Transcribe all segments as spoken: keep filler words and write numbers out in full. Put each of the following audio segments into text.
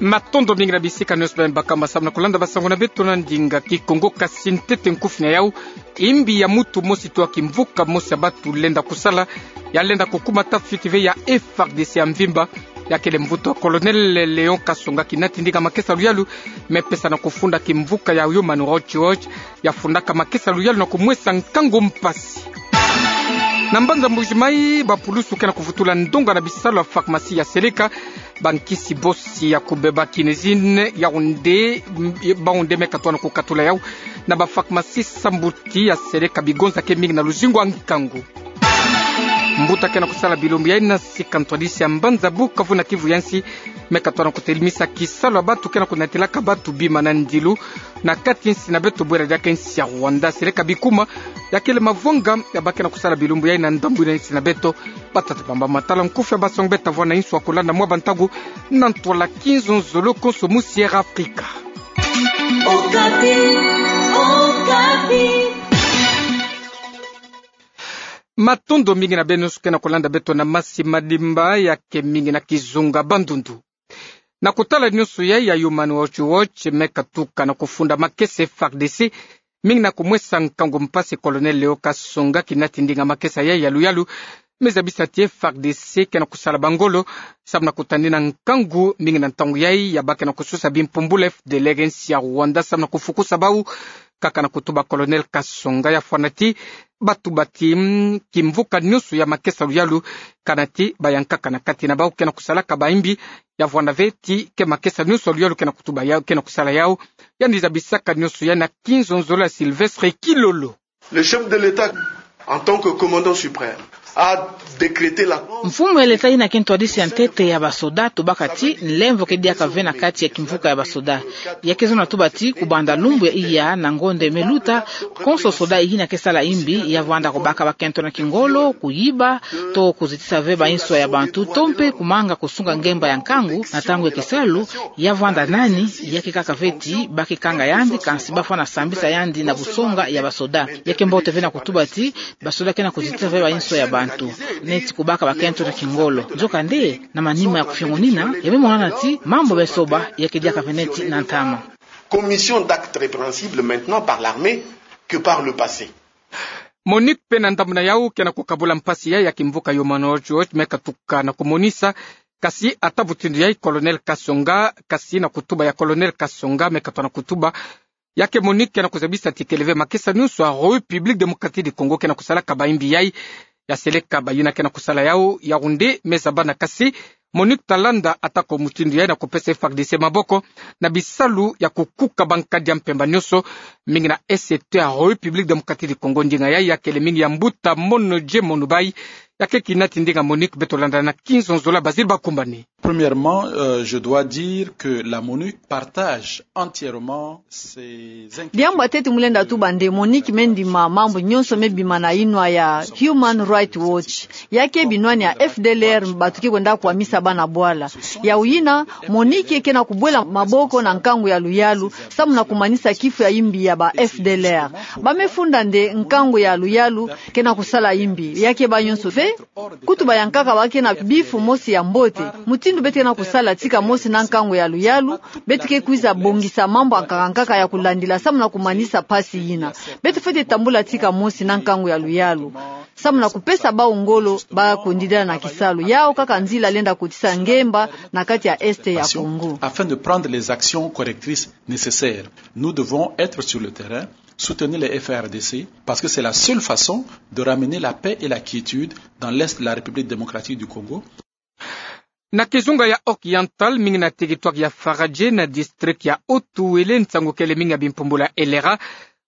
Matondo mingi na bisika nyonso beno bakamba samu na kulanda basango na beto na ndinga Kikongo. Kasi ntete nkufi na yau, imbi ya mutu mosi to ya kimvuka mosi ya batu lenda kusala, ya lenda kukuma tafiti ve ya F A R D C ya mvimba, ya kele mvutu ya Colonel Léon Kasonga, kinati ndinga makesa luyalu me pesa na kufunda kimvuka ya Human Rights Watch, ya fundaka makesa luyalu na kumwesa nkangu mpasi. Na mbanza Mbuji-Mayi, bapulusu ke na kuvutula ndonga na bisalu ya pharmacie ya seleka bankisi bosi ya kubeba quinine, yaounde, baounde me katona kukatula yau na bapharmacie sambuti ya seleka bigonza ke mingi na luzingu ya nkangu. Mbuta ke na kusala bilumbu yayi na sika ntwadisi ya mbanza Bukavu na Kivu ya nsi, me katona kutelimisa kisalu ya batu ke na kunatilaka batu bima na ndilu na kati nsi na beto bwela diaka nsi ya Rwanda. Seleka bikuma, ya kele mavonga ya ba ke na kusala bilumbu yayi na ndambu ina nsi na beto. Batata, bamama, tala nkufi ya basango beta vwanda na insu ya kulanda mwa bantangu na ntwala kinzonzolo konso mu Sierra Africa. Okapi, Okapi. Matondo mingi na beno nyonso ke na kulanda beto na masi madimba, ya ke mingi na kizunga bandundu. Na kutala nyonso yayi ya Human Rights Watch, me katuka na kufunda makesa F A R D C, mingi na kumwesa nkangu mpasi Colonel Léon Kasonga, kinati ndinga makesa yayi ya luyalu me zabisa ti F A R D C ke na kusala bangolo samu na kutanina nkangu mingi na ntangu yayi ya ba ke na kusosa bimpumbulu F D L R nsi ya Rwanda samu na kufukusa bau. Kaka na kutuba Colonel Kasonga, ya fwana ti batuba ti, mm, kimvuka nyonso ya makesa luyalu, kana ti bayankaka na kati na bau ke na kusalaka baimbi. Ya vwanda ve ti ke makesa nyonso ya luyalu ke na kutuba yau, ke na kusala yau, yandi zabisaka nyonso yayi na kinzonzolo ya Sylvestre Kilolo. Le chef de l'État, en tant que commandant suprême, a décrété la... Mfumu ya leta yina ke ntwadisi ya ntete ya basoda atubaka ti nlemvo ke diaka ve na kati ya kimvuka ya basoda. Ya ke zonza tuba ti kubanda lumbu ya iya na ngonde me luta, konso soda yina ke sala imbi ya vwanda kubaka bakento na kingolo, kuyiba, to kuzitisa ve bainso ya bantu, to mpe kumanga kusunga ngemba ya nkangu na ntangu ya kisalu. Ya vwanda nani, ya ke kaka ve ti ba ke kanga yandi, kansi ba fwana sambisa yandi na busonga ya basoda. Ya ke mbote ve na kutuba ti basoda ke na kuzitisa ve bainso ya bantu, neti kubaka bakento na kingolo. Nzokande, na manima ya kufiongonina, ya me monana ti mambu me soba ya ke diaka ve neti na ntama. Commission d'actes répréhensibles maintenant par l'armée que par le passé. MONUC mpe na ndambu na yau ke na kukabula mpasi yayi ya kimvuka Human Rights Watch me katuka na kumonisa. Kasi ata mutindu yayi Colonel Kasonga, kasi na kutuba ya Colonel Kasonga me katona kutuba, ya ke MONUC ke na kuzabisa ti kele ve makesa nyonso ya République Démocratique du Congo ke na kusalaka baimbi yayi. Ya seleka bayina ke na kusala yau, Yaoundé me zabana, kasi MONUC ta landa atako mutindu yayi na kupesa F A R D C maboko na bisalu ya kukuka bankadi ya mpemba nyonso, mingi na Est ya République Démocratique du Congo. Ndinga yayi ya kele mingi ya mbuta Mono J. Mono Bayi, ya ke kinati ndinga MONUC. Beto landa na kinzonzolo ya Basil Bakumbani. Premièrement, euh, je dois dire que la MONUC partage entièrement ces inquiétudes. Diambu ya ntete mu lenda tuba nde MONUC me ndima mambu nyonso me bima na inwa ya Human Rights Watch. Ya ke binwani ya F D L R batu ke kwenda kwamisa bana bwala. Yawu yina, MONUC ke na kubwela maboko na nkangu ya luyalu, samu na kumanisa kifu ya imbi ya ba F D L R. Ba me funda nde nkangu ya luyalu ke na kusala imbi. Ya ke ba nyonso ve, kutu bayankaka ba ke na bifu mosi ya mbote. Mutindu beto ke na kusala tika mosi na nkangu ya luyalu, beto ke kwiza bongisa mambu ya nkaka nkaka ya kulandila samu na kumanisa mpasi yina. Beto fwete tambula tika mosi na nkangu ya luyalu, samu na kupesa bawu ngolo ba kundidila na kisalu. Yawu kaka nzila lenda kotisa ngemba na kati ya Est ya Congo. Afin de prendre les actions correctrices nécessaires, nous devons être sur le terrain, soutenir les F A R D C, parce que c'est la seule façon de ramener la paix et la quiétude dans l'Est de la République démocratique du Congo. Na kizunga ya Oriental, mingi na territoire ya Faradje, na district ya Haut-Uélé, nsangu kele mingi ya bimpumbulu ya Elera,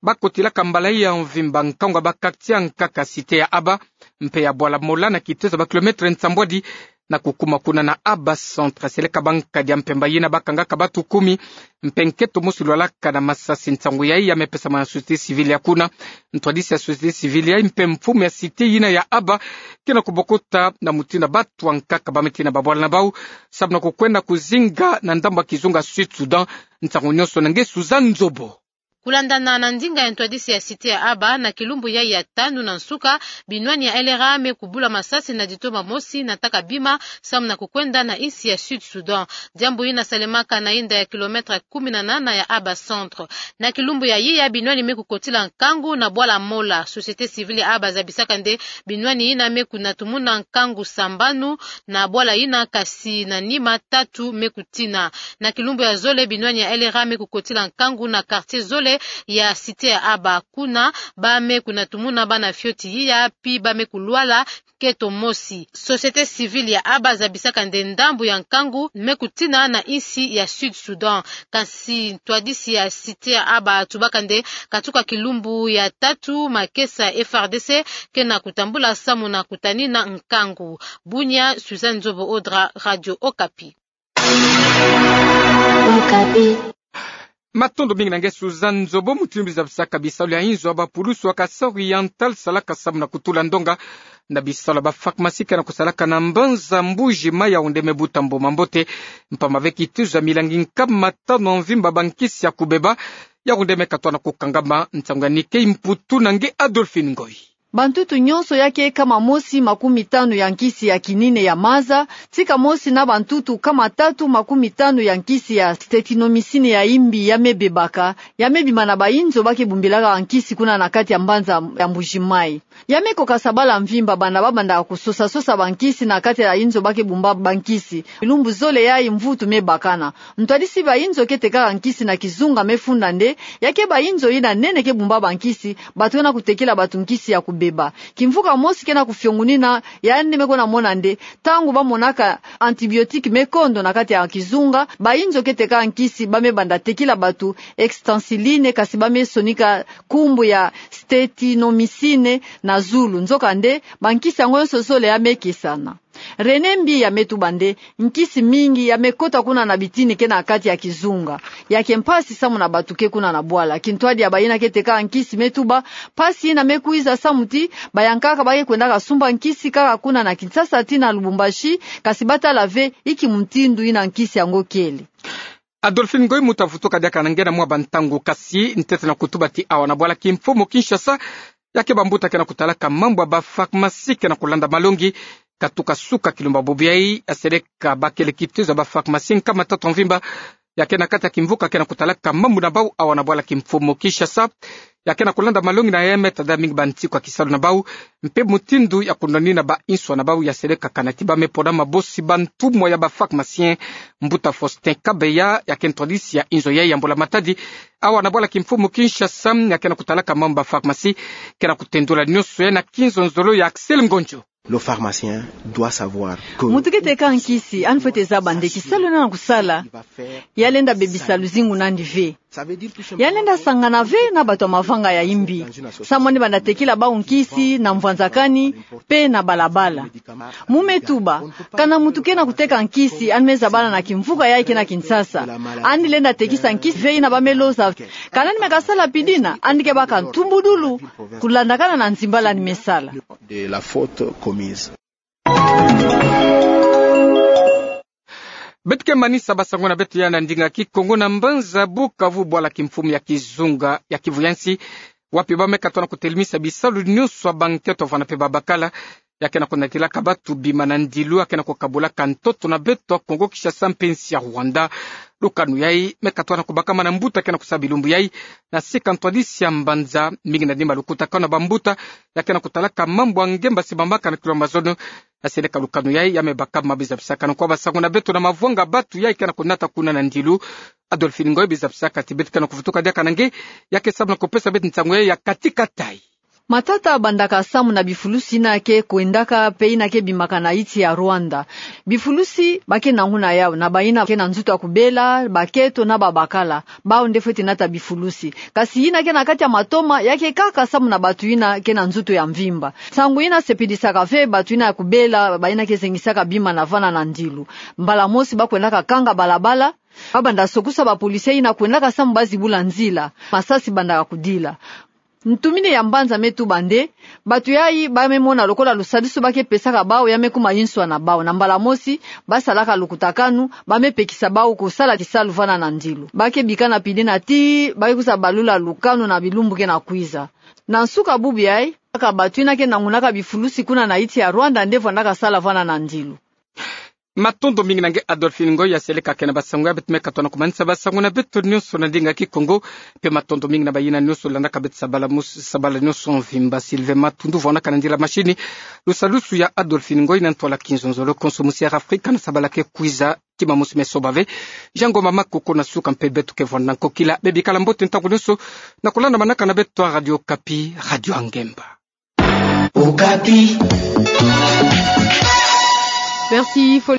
ba kotilaka mbala ya mvimba nkangu ya ba quartier ya nkaka cité ya Aba mpe ya Bwala Mola, na kitezo ya ba kilomètre nsambwadi na kukuma kuna na Aba Centre. Seleka bankadi ya mpemba yina ba kangaka batu kumi, mpe nketo mosi lwalaka na masasi. Nsangu yayi ya me pesama na société civile ya kuna. Ntwadisi ya société civile yayi mpe mfumu ya cité yina ya Aba ke na kubokota na mutindu batu ya nkaka ba me tina babwala na bawu, samu na kukwenda kuzinga na ndambu ya kizunga Sud Soudan. Nsangu nyonso na nge Suzanne Nzobo. Kulandana na ndinga ya ntwadisi ya Cité ya Aba, na kilumbu yai ya tanu na nsuka, binwani ya L R A me kubula masasi na ditoma mosi na taka bima, samu na kukwenda na insi ya Sud Soudan. Diambu yina salemaka na inda ya kilomètre kumi na nana ya Aba Centre. Na kilumbu ya iya, binwani me kukotila nkangu na bwala Mola. Société civile ya Aba zabisaka nde binwani yina me kunatumuna nkangu sambanu na bwala yina, kasi na nima tatu me kutina. Na kilumbu ya zole, binwani ya L R A me kukotila nkangu na quartier zole ya Cité ya Aba. Kuna, ba me kunatumuna bana fioti iya, pi ba me kulwala nkento mosi. Société civile ya Aba zabisaka nde ndambu ya nkangu me kutina na insi ya Sud Soudan. Kasi ntwadisi ya Cité ya Aba atubaka nde katuka kilumbu ya tatu, makesa F R D C ke na kutambula samu na kutanina nkangu. Bunia, Suzanne Nzobo Odra, Radio Okapi. Okapi. Matondo mingi na nge Suzanne Nzobo. Mutindu bi zabisaka bisalu ya inzo ya bapulusu ya Kasaï Oriental salaka samu na kutula ndonga na bisalu ya ba pharmacie ke na kusalaka na mbanza Mbuji Mayi, yawu nde me buta mboma mbote. Mpamba ve kitizo ya milangi nkama tanu ya mvimba bankisi ya kubeba, yawu nde me katoa na kukangama. Nsangu ya Nike Mputu na nge Adolphine Ngoyi. Bantutu nyonso ya ke nkama mosi makumi tanu ya nkisi ya quinine ya maza, tika mosi na bantutu nkama tatu makumi tanu ya nkisi ya streptomycine ya imbi ya me bebaka, ya me bima na bainzo ba ke bumbilaka nkisi kuna na kati ya mbanza ya Mbuji Mayi. Ya me koka sa bala mvimba banda ba banda kusosa-sosa bankisi na kati ya inzo ba ke bumba bankisi. Bilumbu zole yai mvutu me bakana. Ntwadisi bainzo ke tekaka nkisi na kizunga me funda nde, ya ke bainzo yina nene ke bumba bankisi, bato ke na kutekila bato nkisi ya kubeba. Kimvuka mosi ke na kufiongunina, yandi me kwenda mona nde, ntangu ba monaka antibiotique me kondo na kati ya kizunga, bainzo ke tekaka nkisi ba me banda tekila bato extensiline, kasi ba me sonika nkumbu ya streptomycine na zulu. Nzokande, bankisi yango nyonso zole ya me kesana. René Mbiya me tuba nde, nkisi mingi ya me kota kuna na bitini ke na kati ya kizunga. Ya ke mpasi samu na bato ke kuna na bwala. Kintwadi ya bayina ke teka nkisi me tuba, mpasi yina me kwiza samu ti bayankaka ba ke kwendaka sumba nkisi kaka kuna na Kinshasa tii na Lubumbashi, kasi ba tala ve inki mutindu yina nkisi yango kele. Adolphine Ngoyi, mu ta vutuka diaka na nge na mwa bantangu, kasi ntete na kutuba ti awa na bwala kimfumu Kinshasa, ya ke bambuta ke na kutalaka mambu ya ba pharmacie ke na kulanda malongi. Katuka suka kilumbu ya bubu yai, ya seleka bakele kitezo ya ba pharmacie nkama tatu ya mvimba ya ke na kati ya kimvuka ke na kutalaka mambu na bau awa na bwala kimfumu Kinshasa, ya ke na kulanda malongi na ya me tada mingi bantiku ya kisalu na bau, mpe mutindu ya kunwanina bainswa na bau. Ya seleka kana ti ba me pona mabosi bantumwa ya ba pharmacien. Mbuta Faustin Kabeya, ya ke ntwadisi ya inzo yai ya mbula-matadi awa na bwala kimfumu Kinshasa, ya ke na kutalaka mambu ya ba pharmacie, ke na kutendula nyonso yai na kinzonzolo ya Axel Ngonjo. Le pharmacien doit savoir que mutu ke teka nkisi, yandi fwete zaba nde kisalu yandi na kusala, ya lenda bebisa luzingu na yandi ve. Ya lenda sangana ve na bato ya mavanga ya imbi, samu yandi banda tekila bau nkisi na mvwanzakani mpe na balabala. Mu me tuba, kana mutu ke na kuteka nkisi, yandi me zabala na kimvuka yai ke na Kinshasa, yandi lenda tekisa nkisi ve yina ba me loza. Kana yandi me kasala pidina, yandi ke baka ntumbudulu kulandakana na nzimbala yandi me sala. De la faute commise. Beto ke manisa basango na beto ya na ndinga Kikongo na mbanza Bukavu, bwala kimfumu ya kizunga ya Kivu ya nsi, wapi ba me katoa na kutelemisa bisalu nyonso ya bankento vana mpe babakala, ya ke na kunatilaka bato bima na ndilu ya ke na kukabulaka ntoto na beto ya Kongo Kinshasa mpe nsi ya Rwanda. Lukanu yai me katoa na kubakama na mbuta ke na kusa bilumbu yai, na sika ntwadisi ya mbanza, mingi na nima lukutakanu na bambuta ya ke na kutalaka mambu ya ngemba si bambaka na kilo mazono. Na seleka lukanu yai ya me bakama, bi zabisakana kwa basango na beto na mavwanga bato yai ke na kunata kuna na ndilu. Adolphine Ngoyi, bi zabisaka ti beto ke na kuvutuka diaka na nge, ya ke samu na kupesa beto nsangu yai ya kati-kati. Matata bandaka samu na bifulusi yina ke kwendaka mpe yina ke bimaka na nsi ya Rwanda. Bifulusi ba ke nanguna yau na bayina ke na nzutu ya kubela, bakento na babakala, bau nde fwete nata bifulusi. Kasi yina ke na kati ya matoma ya ke kaka samu na bato yina ke na nzutu ya mvimba. Nsangu yina sepidisaka ve bato yina ya kubela, bayina ke zengisaka bima na vana na ndilu. Mbala mosi ba kwendaka kanga balabala, ba banda sokusa bapolisi yina kwendaka samu ba zibula nzila. Masasi bandaka kudila. Ntumini ya mbanza me tuba nde, bato yayi ba me mona lokola lusadusu ba ke pesaka bawu ya me kuma inswa na bawu. Na mbala mosi, ba salaka lukutakanu, ba me pekisa bawu kusala kisalu vana na ndilu. Ba ke bika na pidina tii ba ke kwiza balula lukanu na bilumbu ke na kwiza. Na nsuka bubu yayi, kaka bato yina ke nangunaka bifulusi kuna na insi ya Rwanda nde vandaka sala vana na ndilu. Matondo mingi na nge Adolphine Ngoyi ya seleka ke na basango ya beto. Me katwa na kumanisa basango na beto nionso na ndinga Kikongo. Mpe matondo mingi na bayina nionso landaka beto sabala mus-, sabala nionso mvimba. Sylvain Matundu vwanaka na ndila mashini. Lusadusu ya Adolphine Ngoyi na ntwala kinzonzolo konso musi ya Afrika na sabala ke kwiza. Kima musi me soba ve. Jean Ngoma Makoko na suka mpe beto ke vwanda nkokila. Bebikala mbote ntangu nionso na kulanda manaka na beto a Radio Okapi, Radio ya Ngemba. Okapi. Merci, Fo-